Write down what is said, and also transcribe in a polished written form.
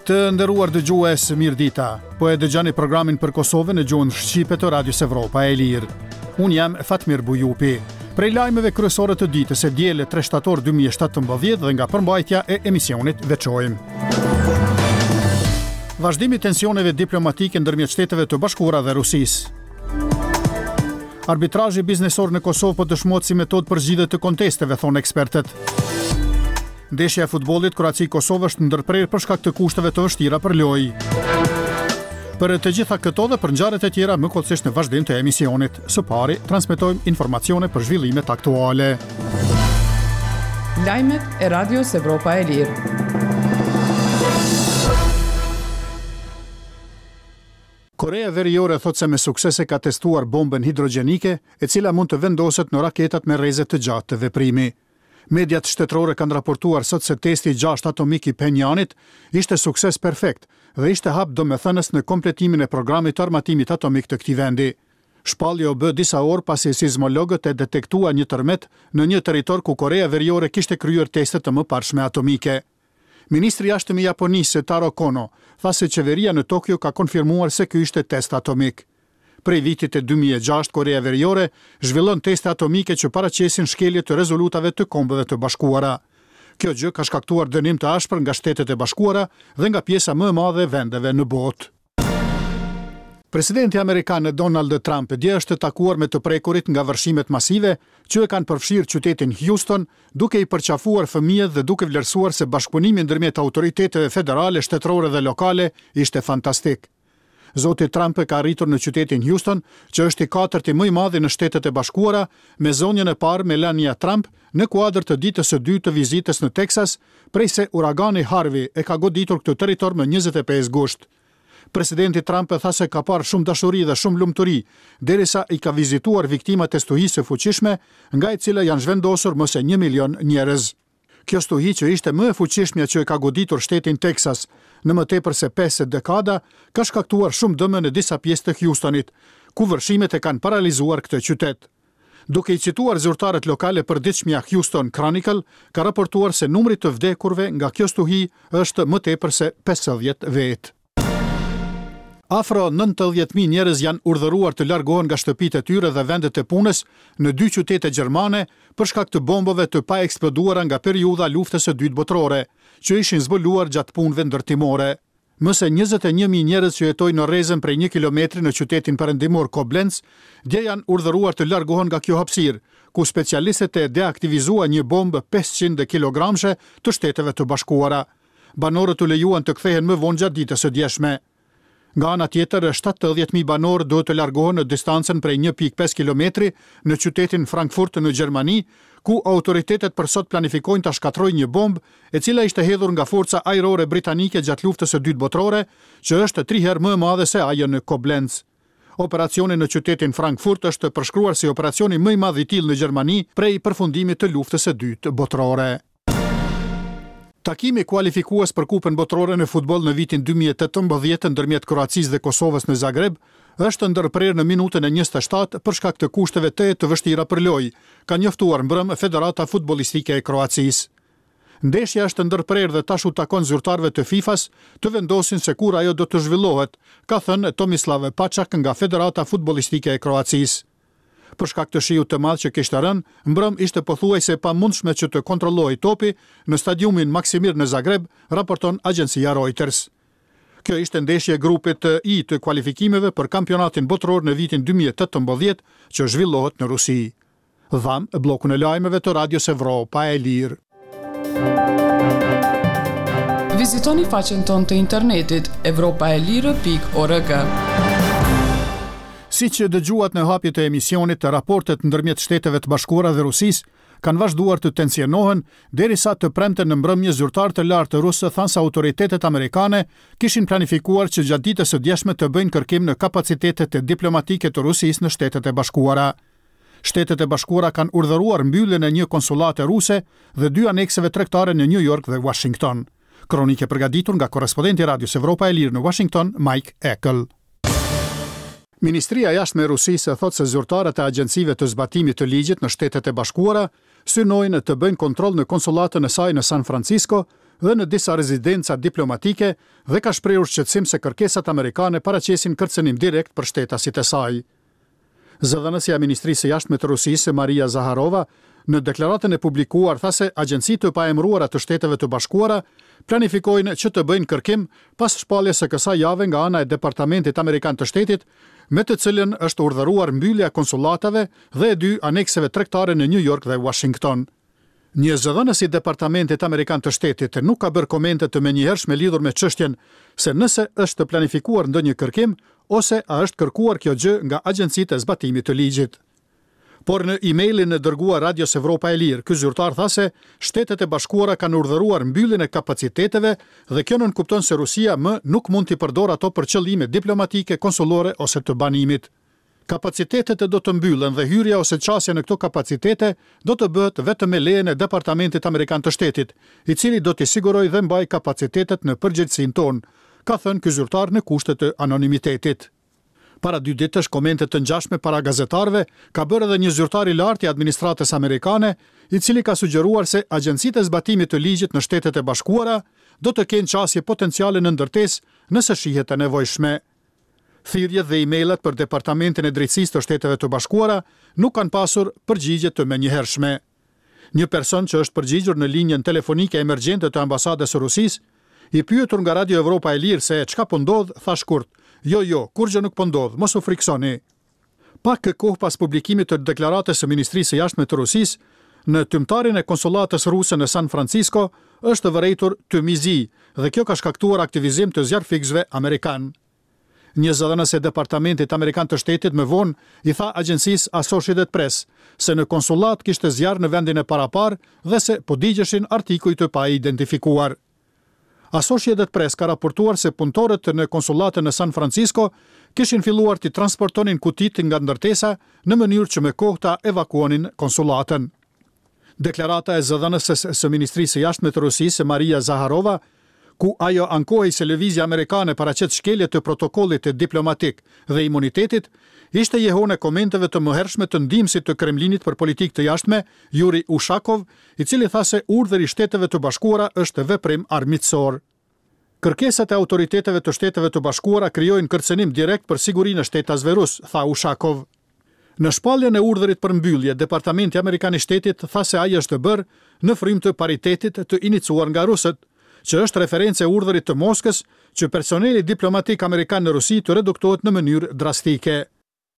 Të nderuar dëgjues, mirëdita. Po e dëgjoni programin për Kosovën në gjuhën shqipe të Radios Evropa e Lirë. Unë jam Fatmir Bujupi. Prej lajmeve kryesore të ditës së dielë 3 shtator 2017 dhe nga përmbajtja e emisionit veçojmë. Vazhdimi i tensioneve diplomatike ndërmjet Shteteve të Bashkuara dhe Rusisë. Arbitrazhi biznesor në Kosovë po dëshmohet si metodë për zgjidhje të kontesteve, thonë ekspertët. Ndeshja e futbollit Kroaci-Kosovë është ndërprerë për shkak të kushteve të vështira për lojë. Për të gjitha këto dhe për ngjarjet e tjera më hollësisht në vazhdim të emisionit. Së pari, transmetojmë informacione për zhvillimet aktuale. Lajmet e Radios Evropa e Lirë. Koreja Veriore thotë se me sukses e ka testuar bombën hidrogjenike, e cila mund të vendoset në raketat me rreze të gjatë të veprimi. Mediat shtetërore kanë raportuar sot se testi i gjashtë atomik i Phenjanit ishte sukses perfekt dhe ishte hap domethënës në kompletimin e programit të armatimit atomik të këtij vendi. Shpallja u bë disa orë pasi sizmologët e detektuan një tërmet në një territor ku Koreja Veriore kishte kryer teste të mëparshme atomike. Ministri i Jashtëm i Japonisë, Taro Kono, tha se qeveria në Tokio ka konfirmuar se ky ishte test atomik. Prej vitit 2006, Koreja Veriore zhvillon teste atomike që paraqesin shkelje të rezolutave të Kombeve të Bashkuara. Kjo gjë ka shkaktuar dënim të ashpër nga Shtetet e Bashkuara dhe nga pjesa më e madhe e vendeve në botë. Presidenti amerikan Donald Trump dje është takuar me të prekurit nga vërshimet masive që e kanë përfshirë qytetin Houston, duke i përqafuar fëmijët dhe duke vlerësuar se bashkëpunimi ndërmjet autoriteteve federale, shtetërore dhe lokale ishte fantastik. Zoti Trump ka arritur në qytetin Houston, që është i katërti më i madhi në Shtetet e Bashkuara, me zonjën e parë Melania Trump, në kuadër të ditës së dytë të vizitës në Teksas, prej se uragani Harvey e ka goditur këtë territor më 25 gusht. Presidenti Trump tha se ka parë shumë dashuri dhe shumë lumturi, derisa i ka vizituar viktimat e stuhisë së fuqishme, nga e cila janë zhvendosur më se një milion njerëz. Kjo stuhi që ishte më e fuqishmja që e ka goditur shtetin Teksas në më tepër se pesë dekada, ka shkaktuar shumë dëme në disa pjesë të Hjustonit, ku vërshimet e kanë paralizuar këtë qytet. Duke i cituar zyrtarët lokalë e përditshmja Houston Chronicle ka raportuar se numri i të vdekurve nga kjo stuhi është më tepër se 50 vetë. Afro 90.000 njerëz janë urdhëruar të largohen nga shtëpitë e tyre dhe vendet e punës në dy qytete gjermane për shkak të bombave të paeksploduara nga periudha e Luftës së Dytë Botërore, që ishin zbuluar gjatë punëve ndërtimore. Më se 21.000 njerëz që jetojnë në rrezen prej një kilometri në qytetin perëndimor Koblenz, dje janë urdhëruar të largohen nga kjo hapësirë, ku specialistët e deaktivizuan një bombë 500 kilogramshe të Shteteve të Bashkuara. Banorët u lejuan të kthehen më vonë gjatë ditës së djeshme. Nga ana tjetër, 70.000 banorë duhet të largohen në distancën prej 1.5 kilometri në qytetin Frankfurt në Gjermani, ku autoritetet për sot planifikojnë ta shkatërrojnë një bombë e cila ishte hedhur nga forca ajrore britanike gjatë luftës së dytë botërore, që është tri herë më e madhe se ajo në Koblenz. Operacioni në qytetin Frankfurt është përshkruar si operacioni më i madh i tillë në Gjermani prej përfundimit të luftës së dytë botërore. Takimi kualifikues për Kupën Botërore në futboll në vitin 2018 ndërmjet Kroacisë dhe Kosovës në Zagreb është ndërprerë në minutën e 27 për shkak të kushteve tejet të vështira për lojë, ka njoftuar mbrëmë Federata Futbollistike e Kroacisë. Ndeshja është ndërprerë dhe tash u takon zyrtarëve të FIFA-s të vendosin se kur ajo do të zhvillohet, ka thënë Tomislav Paçak nga Federata Futbollistike e Kroacisë. Për shkak të shiut të madh që kishte rënë, mbrëmë ishte pothuajse e pamundshme që të kontrollohej topi në stadiumin Maksimir në Zagreb, raporton agjencia Reuters. Kjo ishte ndeshje e grupit I të kualifikimeve për kampionatin botëror në vitin 2018 që zhvillohet në Rusi. Dhamë bllokun e lajmeve të Radios Evropa e Lirë. Vizitoni faqen tonë të internetit evropaelire.org. Siç dëgjuat në hapje të emisionit, raportet ndërmjet Shteteve të Bashkuara dhe Rusisë kanë vazhduar të tensionohen derisa të premten në mbrëmje zyrtarë të lartë rusë thanë se autoritetet amerikane kishin planifikuar që gjatë ditës së djeshme të bëjnë kërkim në kapacitetet diplomatike të Rusisë në Shtetet e Bashkuara. Shtetet e Bashkuara kanë urdhëruar mbylljen e një konsullate ruse dhe dy anekseve tregtare në New York dhe Washington. Kronikë e përgatitur nga korrespondenti i Radios Evropa e Lirë në Washington, Mike Eckel. Ministria e Jashtme e Rusisë thotë se zyrtarët e agjencive të zbatimit të ligjit në Shtetet e Bashkuara synojnë të bëjnë kontroll në konsullatën e saj në San Francisco dhe në disa rezidenca diplomatike dhe ka shprehur shqetësim se kërkesat amerikane paraqesin kërcënim direkt për shtetasit e saj. Zëdhënësja e Ministrisë së Jashtme të Rusisë, Maria Zaharova, në deklaratën e publikuar tha se agjenci të paemëruara të Shteteve të Bashkuara planifikojnë që të bëjnë kërkim pas shpalljes së kësaj jave nga ana e Departamentit Amerikan të Shtetit, me të cilën është urdhëruar mbyllja e konsullatave dhe e dy anekseve tregtare në Nju Jork dhe Uashington. Një zëdhënës i Departamentit Amerikan të Shtetit nuk ka bërë komente të menjëhershme lidhur me çështjen se nëse është planifikuar ndonjë kërkim ose a është kërkuar kjo gjë nga agjencitë e zbatimit të ligjit. Por në emailin e dërguar Radios Evropa e Lirë, ky zyrtar tha se Shtetet e Bashkuara kanë urdhëruar mbylljen e kapaciteteve dhe kjo nënkupton se Rusia më nuk mund t'i përdorë ato për qëllime diplomatike, konsullore ose të banimit. Kapacitetet do të mbyllen dhe hyrja ose qasja në këto kapacitete do të bëhet vetëm me lejen e Departamentit Amerikan të Shtetit, i cili do t'i sigurojë dhe mbajë kapacitetet në përgjegjësinë tonë, ka thënë ky zyrtar në kushte të anonimitetit. Para dy ditësh komente të ngjashme para gazetarëve ka bërë edhe një zyrtar i lartë i administratës amerikane, i cili ka sugjeruar se agjencitë e zbatimit të ligjit në Shtetet e Bashkuara do të kenë qasje potenciale në ndërtesë nëse shihet e nevojshme. Thirrjet dhe e-mailat për Departamentin e Drejtësisë të Shteteve të Bashkuara nuk kanë pasur përgjigje të menjëhershme. Një person që është përgjigjur në linjën telefonike emergjente të Ambasadës së Rusisë, i pyetur nga Radio Evropa e Lirë se çka po ndodh, tha shkurt, Jo, jo, kurrgjë nuk po ndodh, mos u frikësoni. Pak kohë pas publikimit të deklaratës së Ministrisë së Jashtme të Rusisë, në tymtarin e konsullatës ruse në San Francisco është vërejtur tym i zi dhe kjo ka shkaktuar aktivizim të zjarrfikësve amerikanë. Një zëdhënës e Departamentit Amerikan të Shtetit më vonë i tha agjencisë Associated Press se në konsullatë kishte zjarr në vendin e paraparë dhe se po digjeshin artikuj të paidentifikuar. Associated Press ka raportuar se punëtorët në konsullatën në San Francisco kishin filluar t'i transportonin kutitë nga ndërtesa në mënyrë që me kohë ta evakuonin konsullatën. Deklarata e zëdhënëses së Ministrisë së Jashtme të Rusisë, Maria Zaharova, ku ajo ankohej se lëvizja amerikane paraqet shkelje të protokollit diplomatik dhe imunitetit, ishte jehonë e komenteve të mëhershme të ndihmësit të Kremlinit për politikë të jashtme, Yuri Ushakov, i cili tha se urdhri i Shteteve të Bashkuara është veprim armiqësor. Kërkesat e autoriteteve të Shteteve të Bashkuara krijojnë kërcënim direkt për sigurinë e shtetasve rusë, tha Ushakov. Në shpalljen e urdhrit për mbyllje, Departamenti Amerikan i Shtetit tha se ai është bërë në frymë të paritetit të inicuar nga rusët, që është referencë e urdhrit të Moskës që personeli diplomatik amerikan në Rusi të reduktohet në mënyrë drastike.